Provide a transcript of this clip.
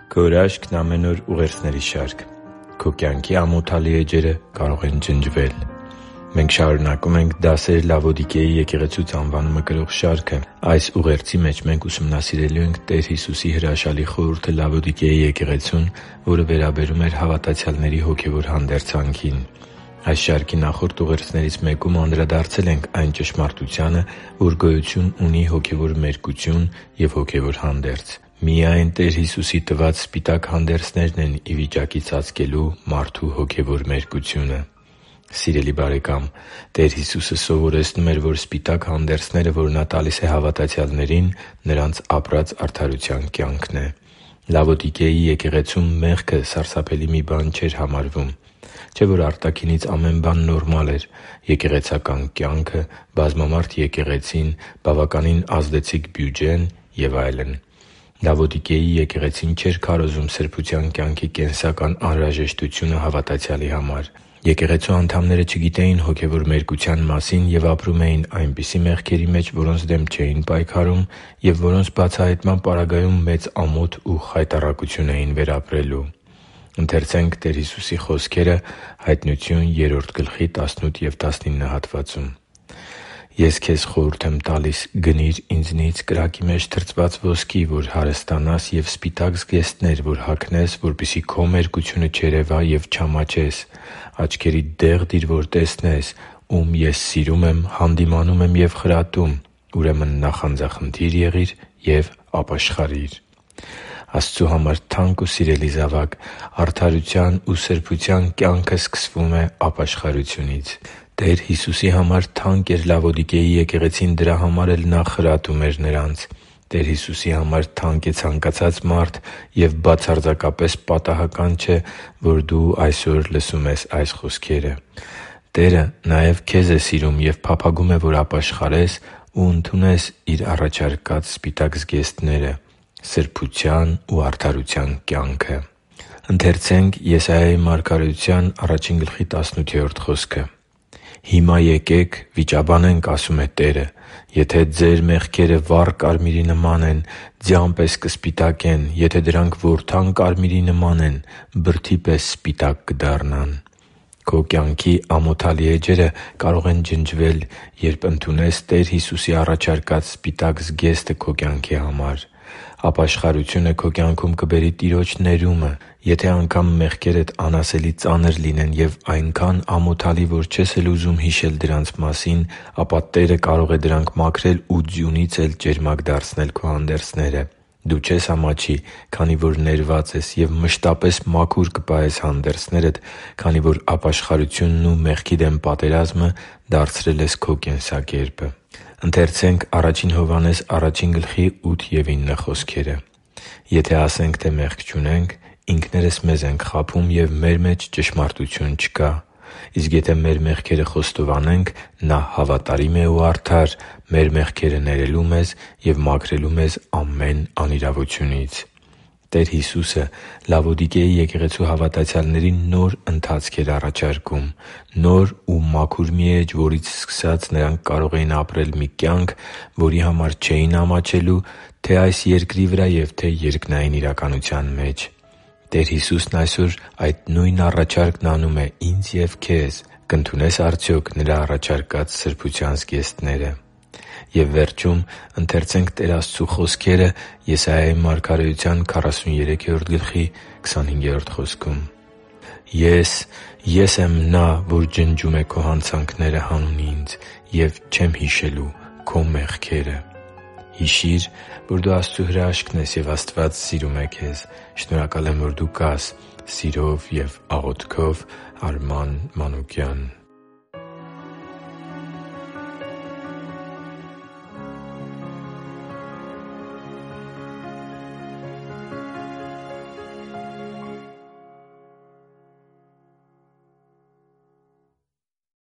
Քո հրաշքն ամեն օր ուղերձների շարք։ Քո կյանքի ամոթալի էջերը կարող են ջնջվել։ Մենք շարունակում ենք «Դասեր Լավոդիկեի եկեղեցուց» անվանումը կրող շարքը։ Այս ուղերձի մեջ մենք ուսումնասիրելու ենք Տեր Հիսուսի հրաշալի խորհուրդը Լավոդիկեի եկեղեցուն, որը վերաբերում էր հավատացյալների հոգևոր հանդերձանքին։ Այս շարքի նախորդ ուղերձներից մեկում անդրադարձել ենք այն ճշմարտությանը, որ գոյություն ունի հոգևոր մերկություն և հոգևոր հանդերձ։ Միայն Տեր Հիսուսի տված սպիտակ հանդերձներն են ի վիճակի ծածկելու մարդու հոգևոր մերկությունը։ Սիրելի՛ բարեկամ, Տեր Հիսուսը սովորեցնում էր, որ սպիտակ հանդերձները, որ Նա տալիս է հավատացյալներին, նրանց ապրած արդարության կյանքն է։ Լավոդիկեի եկեղեցում մեղքը սարսափելի մի բան չէր համարվում։ Չէ՞ որ արտաքինից ամեն բան նորմալ էր՝ եկեղեցական կյանքը, բազմամարդ եկեղեցին, բավականին ազդեցիկ բյուջեն և այլն։ Լավոդիկեի եկեղեցին չէր քարոզում սրբության կյանքի կենսական անհրաժեշտությունը հավատացյալի համար։ Եկեղեցու անդամները չգիտեին հոգևոր մերկության մասին և ապրում էին այնպիսի մեղքերի մեջ, որոնց դեմ չէին պայքարում և որոնց բացահայտման պարագայում մեծ ամոթ ու խայտառակություն էին վերապրելու։ «Ես քեզ խորհուրդ եմ տալիս. գնի՛ր Ինձնից կրակի մեջ թրծված ոսկի, որ հարստանաս, և սպիտակ զգեստներ, որ հագնես, որպեսզի քո մերկությունը չերևա և չամաչես։ Աչքերիդ դեղ դիր, որ տեսնես. ում Ես սիրում եմ, հանդիմանում եմ և խրատում։ Ուրեմն նախանձախնդի՛ր եղիր և ապաշխարի՛ր» (Բ Տիմոթեոս 3.18-19): Աստծու համար թանկ ու սիրելի՛ զավակ, արդարության ու սրբության կյանքը սկսվում է ապաշխարությունից։ Տեր Հիսուսի համար թանկ էր Լավոդիկեի եկեղեցին, դրա համար էլ Նա խրատում էր նրանց։ Տեր Հիսուսի համար թանկ է ցանկացած մարդ, և բացարձակապես պատահական չէ, որ դու այսօր լսում ես այս խոսքերը։ Տերը նաև քեզ է սիրում և փափագում է, որ ապաշխարես ու ընդունես Իր առաջարկած սպիտակ զգեստները՝ սրբության ու արդարության կյանքը։ «Հիմա եկեք, վիճաբանենք, ասում է Տերը. եթե ձեր մեղքերը վառ կարմիրի նման են, ձյան պես կսպիտակեն, եթե դրանք որդան կարմիրի նման են, բրդի պես սպիտակ կդառնան» (Եսայիա 41․18): Քո կյանքի ամոթալի էջերը կարող են ջնջվել, երբ ընդունես Տեր Հիսուսի առաջարկած սպիտակ զգեստը քո կյանքի համար։ Ապաշխարությունը քո կյանքում կբերի Տիրոջ ներումը։ Եթե անգամ մեղքերդ անասելի ծանր լինեն և այնքան ամոթալի, որ չես էլ ուզում հիշել դրանց մասին, ապա Տերը կարող է դրանք մաքրել ու ձյունից էլ ճերմակ դարձնել քո հանդերձները։ Դու չես ամաչի, քանի որ ներված ես, և մշտապես մաքուր կպահես հանդերձներդ, քանի որ ապաշխարությունն ու մեղքի դեմ պատերազմը դարձրել ես քո կենսակերպը։ «Եթե ասենք, թե մեղք չունենք, ինքներս մեզ ենք խաբում, և մեր մեջ ճշմարտություն չկա։ Իսկ եթե մեր մեղքերը խոստովանենք, Նա հավատարիմ է ու արդար՝ մեր մեղքերը ներելու մեզ և մաքրելու մեզ ամեն անիրավությունից» (Ա Հովհաննես 1:8-9): Տեր Հիսուսը Լավոդիկեի եկեղեցու հավատացյալներին նոր ընթացք էր առաջարկում։ Նոր ու մաքուր մի էջ, որից սկսած նրանք կարող էին ապրել մի կյանք, որի համար չէին ամաչելու թե՛ այս երկրի վրա և թե՛ երկնային իրականության մեջ։ Տեր Հիսուսն այսօր այդ նույն առաջարկն անում է ինձ և քեզ։ Կընդունե՞ս արդյոք Նրա առաջարկած սրբության զգեստները։ «Ես եմ Նա, որ ջնջում է քո հանցանքները հանուն Ինձ, և չեմ հիշելու քո մեղքերը» (Եսայիա 40:25): Հիշի՛ր, որ դու Աստծո հրաշքն ես, և Աստված սիրում է քեզ։ Շնորհակալ եմ, որ դու կա՛ս։ Սիրով և աղոթքով, Արման Մանուկյան։